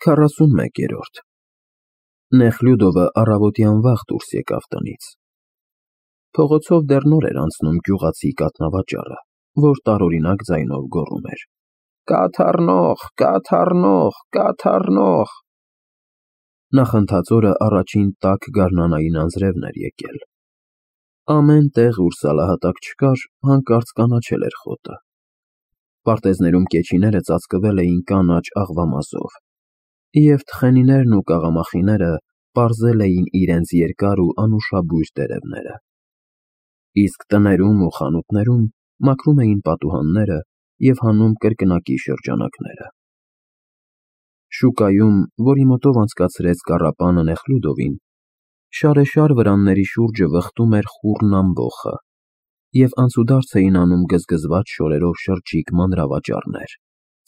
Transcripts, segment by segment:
41-րդ Նեխլյուդովը առավոտյան վաղ դուրս եկավ տնից։ Փողոցով դեռ նոր էր անցնում գյուղացի կաթնավաճառը, որ տարօրինակ ձայնով գոռում էր. «Կաթառնող, կաթառնող, կաթառնող»։ Նախընթաց օրը առաջին տաք գարնանային անձրևն էր եկել։ Ամեն տեղ, ուր սալահատակ չկար, հանկարծ կանաչել էր խոտը։ Պարտեզներում կեչիները ծածկվել էին կանաչ աղվամազով, և թխենիներն ու կաղամախիները պարզել էին իրենց երկար ու անուշաբույր տերևները։ Իսկ տներում ու խանութներում մաքրում էին պատուհանները և հանում կրկնակի շրջանակները։ Շուկայում, որի մոտով անցկացրեց կառապանը Նեխլյուդովին, շարեշար վրանների շուրջը վխտում էր խուռն ամբոխը, և անցուդարձ էին անում գզգզված շորերով շրջիկ մանրավաճառներ,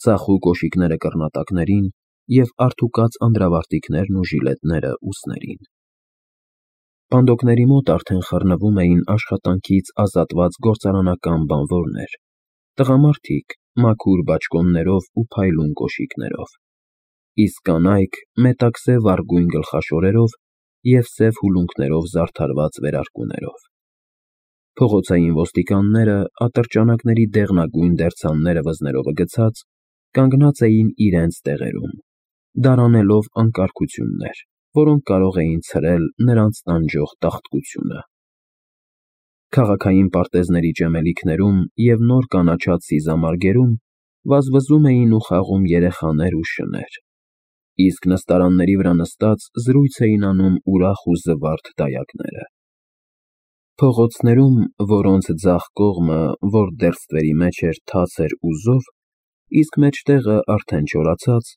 ծախու կոշիկները կռնատակներին և արդուկած անդրավարտիքներն ու ժիլետները ուսներին։ Պանդոկների մոտ արդեն խռնվում էին աշխատանքից ազատված գործարանական բանվորներ, տղամարդիկ մաքուր բաճկոններով ու փայլուն կոշիկներով, իսկ կանայք մետաքսե վառգույն գլխաշորերով և սև հուլունքներով զարդարված վերարկուներով։ Փողոցային ոստիկանները, ատրճանակների դեղնագույն դերձանները վզներովը գցած, կանգնած էին իրենց տեղերում, դարանելով անկարգություններ, որոնք կարող էին ցրել նրանց տանջող տաղտկությունը։ Քաղաքային պարտեզների ճեմելիքներում և նոր կանաչած սիզամարգերում վազվզում էին ու խաղում երեխաներ ու շներ, իսկ նստարանների վրա նստած զրույց էին անում ուրախ ու զվարթ դայակները։ Փողոցներում, որոնց ձախ կողմը, որ դեռ ստվերի մեջ էր, թաց էր ու զով, իսկ մեջտեղը արդեն չորացած,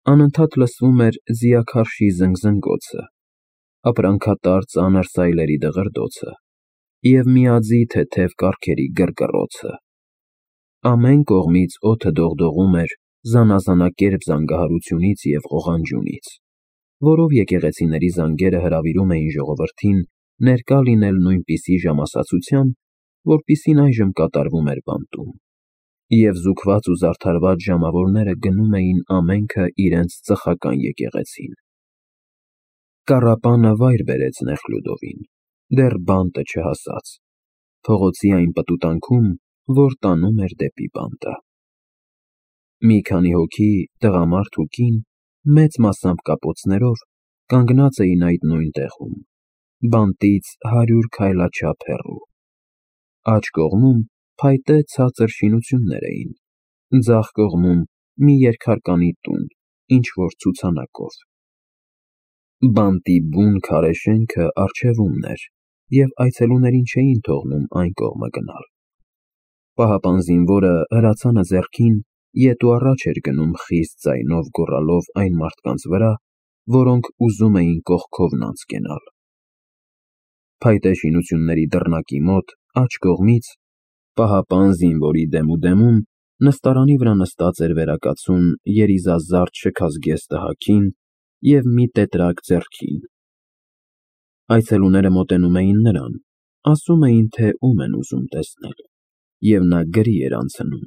անընդհատ լսվում էր ձիաքարշի զնգզնգոցը, ապրանքատար ծանր սայլերի դղրդոցը և միաձի թեթև կառքերի կռկռոցը։ Ամեն կողմից օդը դողդողում էր զանազանակերպ զանգահարությունից և ղողանջյունից, որով եկեղեցիների զանգերը հրավիրում էին ժողովրդին ներկա լինել նույնպիսի ժամասացության, որպիսին այժմ կատարվում էր բանտում, և զուգված ու զարդարված ժամավորները գնում էին ամենքը իրենց ծխական եկեղեցին։ Կառապանը վայր բերեց Նեխլյուդովին, դեռ բանտը չհասած, փողոցի այն պտուտանքում, որ տանում էր դեպի բանտը։ Մի քանի հոգի, տղամարդ ու կին, մեծ մասամբ կապոցներով, կանգնած էին այդ նույն տեղում, բանտից 100 քայլաչափ հեռու։ Աջ կողմում փայտե ցածր շինություններ էին, ձախ կողմում մի երկհարկանի տուն ինչ-որ ցուցանակով։ Բանտի բուն քարե շենքը առջևումն էր, և այցելուներին չէին թողնում այն կողմը գնալ։ Պահապան զինվորը, հրացանը ձեռքին, ետ ու առաջ էր գնում խիստ ձայնով գոռալով այն մարդկանց վրա, որոնք ուզում էին կողքովն անց կենալ։ Փայտե շինությունների դռնակի մոտ, աջ կողմից, պահապան զինվորի դեմուդեմում, նստարանի վրա նստած էր վերակացուն երիզազարդ շքազգեստը հագին և մի տետրակ ձեռքին։ Այցելուները մոտենում էին նրան, ասում էին, թե ում են ուզում տեսնել, և նա գրի էր անցնում։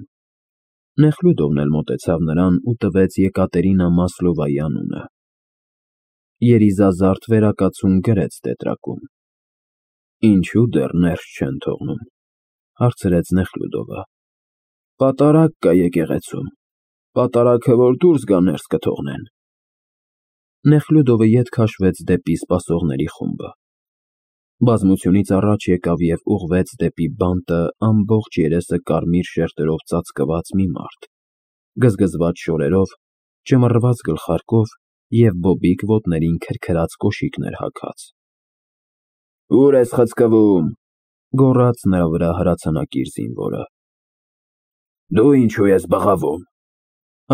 Նեխլյուդովն էլ մոտեցավ նրան ու տվեց Եկատերինա Մասլովայի անունը։ Երիզազարդ վերակացուն գրեց տետրակում։ Ինչու դեռ ներս չեն թողնում, հարցրեց Նեխլյուդովը։ Պատարագ կա եկեղեցում, պատարագը որ դուրս գա ներս կթողնեն։ Նեխլյուդովը ետ քաշվեց դեպի սպասողների խումբը։ Բազմությունից առաջ եկավ և ուղղվեց դեպի բանտը ամբողջ երեսը կարմիր շերտերով ծածկված մի մարդ, գզգզված շորերով, ճմռված գլխարկով և բոբիկ ոտներին քրքրած կոշիկներ հագած։ Ո՞ւր ես խցկվում, գոռաց նրա վրա հրացանակիր զինվորը։ Դու ինչու ես բղավում։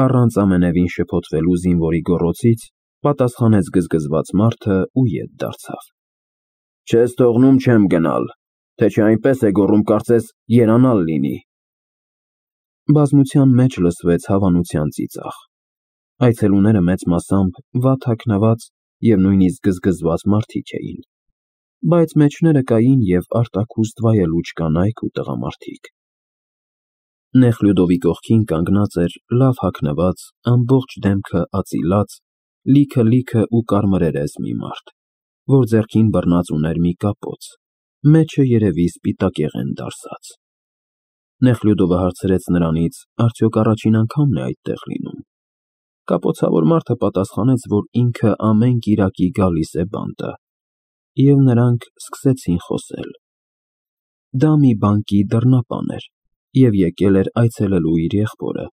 Առանց ամենևին շփոթվելու զինվորի գոռոցից պատասխանեց գզգզված մարդը ու ետ դարձավ։ Չես թողնում, չեմ գնալ, թե չէ այնպես է գոռում, կարծես երանալ լինի։ Բազմության մեջ լսվեց հավանության ծիծաղ։ Այցելուները մեծ մասամբ վատ հագնված և նույնիսկ գզգզված մարդիկ էին, բայց մեջները կային և արտաքուստ վայելուչ կանայք ու տղամարդիկ։ Նեխլյուդովի կողքին կանգնած էր լավ հագնված, ամբողջ դեմքը ածիլած, լիքը ու կարմրերես մի մարդ, որ ձեռքին բռնած ուներ մի կապոց, մեջը երևի սպիտակեղեն դարսած։ Նեխլյուդովը հարցրեց նրանից, արդյոք առաջին անգամն է այդտեղ լինում։ Կապոցավոր մարդը պատասխանեց, որ ինքը ամեն կիրակի գալիս է բանտը, և նրանք սկսեցին խոսել։ Դա մի բանկի դռնապան էր և եկել էր այցելելու իր եղբորը,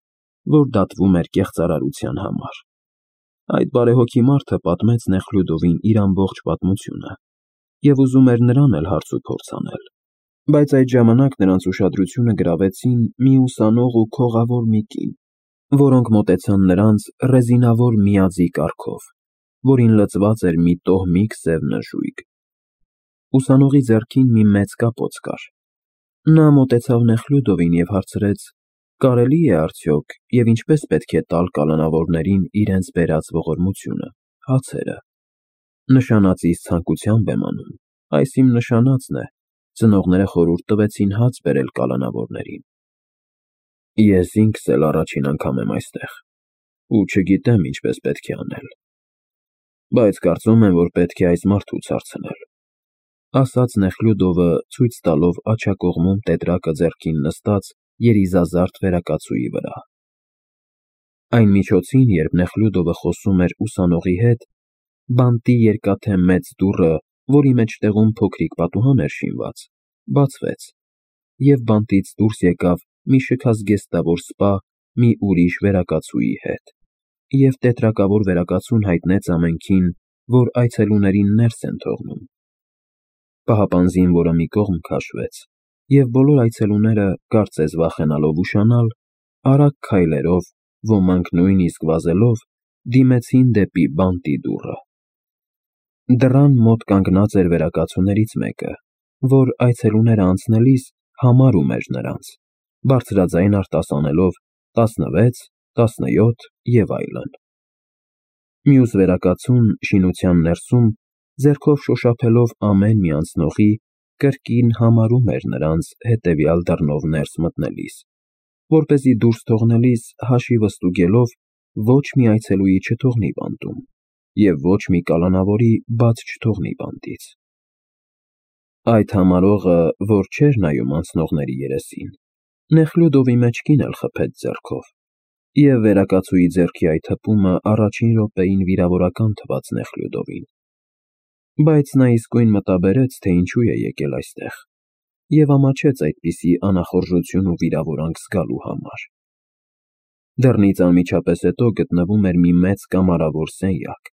որ դատվում էր կեղծարարության համար։ Այդ բարեհոգի մարդը պատմեց Նեխլյուդովին իր ամբողջ պատմությունը և ուզում էր նրան էլ հարցուփորձ անել, բայց այդ ժամանակ նրանց ուշադրությունը գրավեցին մի ուսանող ու քողավոր մի կին, որոնք մոտեցան նրանց ռեզինավոր միաձի կառքով, որին լցված էր մի տոհմիկ սև նժույգ։ Ուսանողի ձեռքին մի մեծ կապոց կար։ Նա մոտեցավ Նեխլյուդովին և հարցրեց. «Կարելի է արդյոք և ինչպես պետք է տալ կալանավորներին իրենց բերած ողորմությունը, հացերը»։ Նշանածիս ցանկությամբ եմ անում, այս իմ նշանածն է, ծնողները խորհուրդ տվեցին հաց բերել կալանավորներին։ Ես ինքս էլ առաջին անգամ եմ այստեղ ու չգիտեմ ինչպես պետք է անել, բայց կարծում եմ, որ պետք է այս մարդուց հարցնել, ասաց Նեխլյուդովը, ցույց տալով աջակողմում տետրակը ձեռքին նստած երիզազարդ վերակացուի վրա։ Այն միջոցին, երբ Նեխլյուդովը խոսում էր ուսանողի հետ, բանտի երկաթե մեծ դուռը, որի մեջտեղում փոքրիկ պատուհան էր շինված, բացվեց, և բանտից դուրս եկավ մի շքազգեստավոր սպա մի ուրիշ վերակացուի հետ, և տետրակավոր վերակացուն հայտնեց ամենքին, որ այցելուներին ներս են թողնում։ Պահապանձին, որը մի կողմ քաշվեց, և բոլոր այցելուները, կարծես վախենալով ուշանալ, արագ քայլերով, ոմանք նույնիսկ վազելով, դիմեցին դեպի բանտի դուռը։ Դռան մոտ կանգնած էր վերակացուներից մեկը, որ այցելուները անցնելիս համարում էր նրանց, բարձրաձայն արտասանելով 16, 17 և այլն։ Մյուս վերակացուն շինության ներսում, ձեռքով շոշափելով ամեն մի անցնողի, կրկին համարում էր նրանց հետևյալ դռնով ներս մտնելիս, որպեսզի դուրս թողնելիս հաշիվը ստուգելով ոչ մի այցելուի չթողնի բանտում և ոչ մի կալանավորի բաց չթողնի բանտից։ Այդ համարողը, որ չէր նայում անցնողների երեսին, Նեխլյուդովի մեջքին էլ խփեց ձեռքով, և վերակացուի ձեռքի այդ հպումը առաջին րոպեին վիրավորական թվաց Նեխլյուդովին, բայց նա իսկույն մտաբերեց, թե ինչու է եկել այստեղ, և ամաչեց այդպիսի անախորժություն ու վիրավորանք զգալու համար։ Դռնից անմիջապես հետո գտնվում էր մի մեծ կամարավոր սենյակ,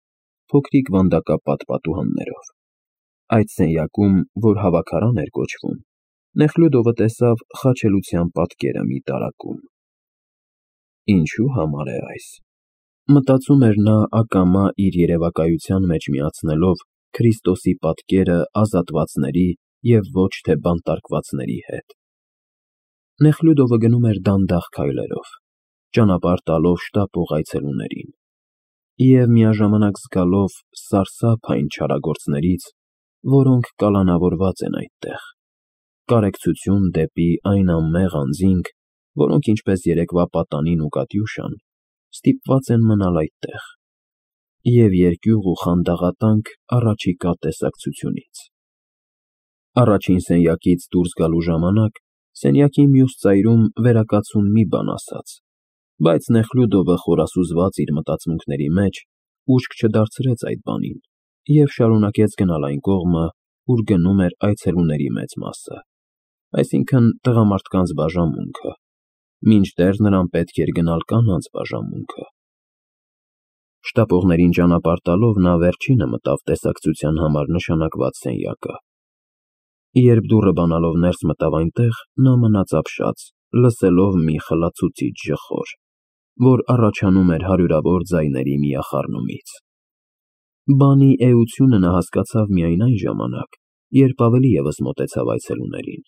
փոքրիկ վանդակապատ պատուհաններով։ Այդ սենյակում, որ հավաքարան էր կոչվում, Նեխլյուդովը տեսավ խաչելության պատկերը մի տարակում։ Ինչու համար է այս, մտածում էր նա ակամա իր երևակայության մեջ միացնելով Քրիստոսի պատկերը ազատվածների և ոչ թե բանտարկվածների հետ։ Նեխլյուդովը գնում էր դանդաղ քայլերով, ճանապարհ տալով շտապող այցելուներին, և միաժամանակ զգալով սարսափ այն չարագործներից, որոնք կալանավորված են այդտեղ, կարեկցություն դեպի այն անմեղ անձինք, որոնք ինչպես երեկվա պատանին ու Կատյուշան, ստիպված են մնալ այդտեղ, և երկյուղ ու խանդաղատանք առաջիկա տեսակցությունից։ Առաջին սենյակից դուրս գալու ժամանակ սենյակի մյուս ծայրում վերակացուն մի բան ասաց, բայց Նեխլյուդովը խորասուզված իր մտածմունքների մեջ, ուշք չդարձրեց այդ բանին և շարունակեց գնալ այն կողմը, ուր գնում էր այցելուների մեծ մասը, այսինքն տղամարդկանց բաժանմունքը, մինչդեռ նրան պետք էր գնալ կանանց բաժանմունքը։ Շտապողներին ճանապարհ տալով նա վերջինը մտավ տեսակցության համար նշանակված սենյակը։ Երբ դուռը բանալով ներս մտավ այնտեղ, նա մնաց ապշած, լսելով մի խլացուցիչ ժխոր, որ առաջանում էր հարյուրավոր ձայների միախառնումից։ Բանի էությունը նա հասկացավ միայն այն ժամանակ, երբ ավելի ևս մոտեցավ այցելուներին,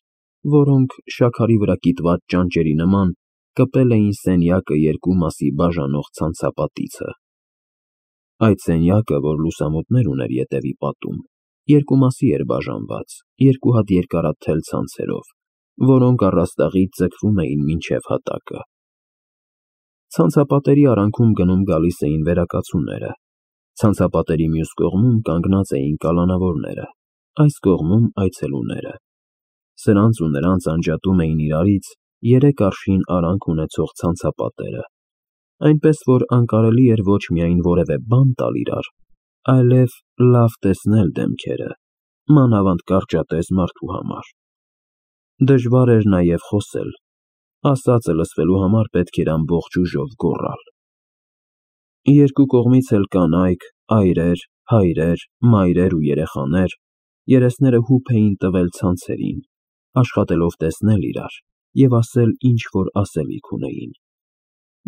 որոնք, շաքարի վրա կիտված ճանճերի նման, կպել էին սենյակը երկու մասի բաժանող ցանցապատիցը։ Այդ սենյակը, որ լուսամուտներ ուներ ետևի պատում, երկու մասի էր բաժանված երկու հատ երկարաթել ցանցերով, որոնք առաստաղից ձգվում էին մինչև հատակը։ Ցանցապատերի արանքում գնում գալիս էին վերակացուները, Ցանցապատերի մյուս կողմում կանգնած էին կալանավորները, այս կողմում այցելուները։ Սրանց ու նրանց անջատում էին իրարից 3 արշին արանք ունեցող ցանցապատերը, այնպես որ անկարելի էր ոչ միայն որևէ բան տալ իրար, այլև լավ տեսնել դեմքերը, մանավանդ կարճատև մարդու համար։ Դժվար էր նաև խոսել, ասածը լսվելու համար պետք էր ամբողջ ուժով գոռալ։ Երկու կողմից էլ կանայք, այրեր, հայրեր, մայրեր ու երեխաներ, երեսները հուփ էին տվել ցանցերին, աշխատելով տեսնել իրար և ասել ինչ-որ ասելիք ունեին։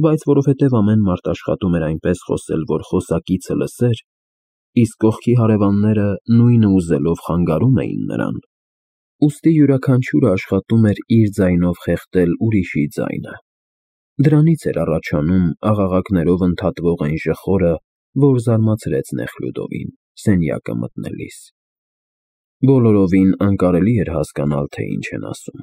Բայց որովհետև ամեն մարդ աշխատում էր այնպես խոսել, որ խոսակիցը լսեր, իսկ կողքի հարևանները նույնը ուզելով խանգարում էին նրան, ուստի յուրաքանչյուրը աշխատում էր իր ձայնով խեղդել ուրիշի ձայնը։ Դրանից էր առաջանում աղաղակներով ընդհատվող այն ժխորը, որ զարմացրեց Նեխլյուդովին սենյակը մտնելիս։ Բոլորովին անկարելի էր հասկանալ, թե ինչ են ասում։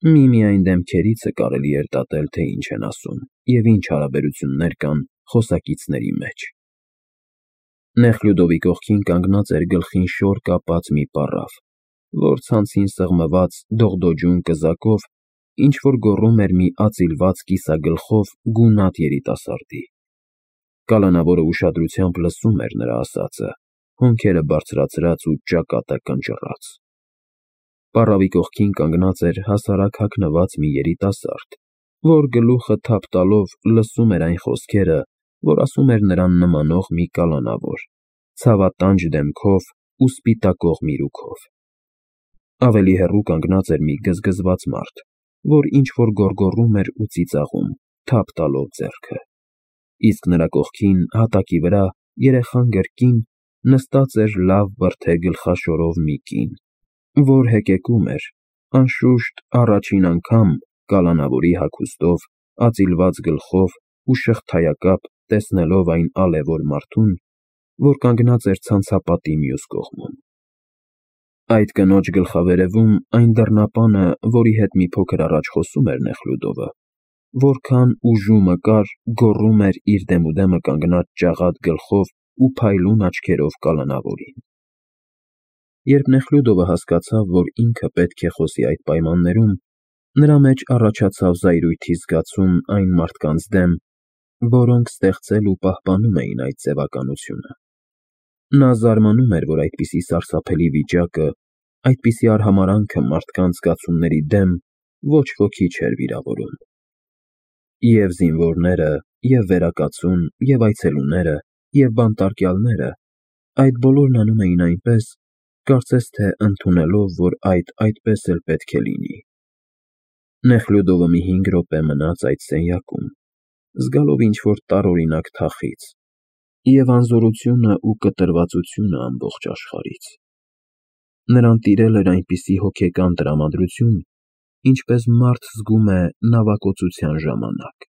Միմիայն դեմքերից է կարելի էր դատել, թե ինչ են ասում և ինչ հարաբերություններ կան խոսակիցների մեջ։ Նեխլյուդովի կողքին կանգնած էր գլխին շոր կապած մի պառավ, որ ցանցին սեղմված դողդոջուն կզակով ինչ-որ գոռում էր մի ածիլված կիսագլխով գունատ երիտասարդի։ Կալանավորը ուշադրությամբ լսում էր նրա ասածը, հոնքերը բարձրացրած ու ճակատը կնճռած։ Պառավի կողքին կանգնած էր հասարակ հագնված մի երիտասարդ, որ գլուխը թափ տալով լսում էր այն խոսքերը, որ ասում էր նրան նմանող մի կալանավոր, ցավատանջ դեմքով ու սպիտակող միրուքով։ Ավելի հեռու կանգնած էր մի գզգզված մարդ, որ ինչ-որ գոռգոռում էր ու ծիծաղում, թափ տալով ձեռքը, իսկ նրա կողքին հատակի վրա երեխան կրկին նստած էր լավ բրդե գլխաշորով մի կին, որ հեկեկում էր, անշուշտ առաջին անգամ կալանավորի հագուստով, ածիլված գլխով ու շղթայակապ տեսնելով այն ալևոր մարդուն, որ կանգնած էր ցանցապատի մյուս կողմում։ Այդ կնոջ գլխավերևում այն դռնապանը, որի հետ մի փոքր առաջ խոսում էր Նեխլյուդովը, որքան ուժումը կար, գոռում էր իր դեմուդեմը կանգնած ճաղատ գլխով ու փայլուն աչքերով կալանավորին։ Երբ Նեխլյուդովը հասկացավ, որ ինքը պետք է խոսի այդ պայմաններում, նրա մեջ առաջացավ զայրույթի զգացում այն մարդկանց դեմ, որոնք ստեղծել ու պահպանում էին այդ ձևականությունը։ Նա զարմանում էր, որ այդպիսի սարսափելի վիճակը, այդպիսի արհամարհանքը մարդկանց զգացումների դեմ ոչ ոքի չէր վիրավորում։ Եվ զինվորները, և վերակացուն, և այցելուները, և բանտարկյալները այդ բոլորն անում էին այնպես, կարծես թե ընդունելով, որ այդպես էլ պետք է լինի։ Նեխլյուդովը մի 5 րոպե մնաց այդ սենյակում, զգալով ինչ-որ տարօրինակ թախիծ և անզորությունը ու կտրվածությունը ամբողջ աշխարհից։ Նրան տիրել էր այնպիսի հոգեկան տրամադրություն, ինչպես մարդ զգում է նավակոծության ժամանակ։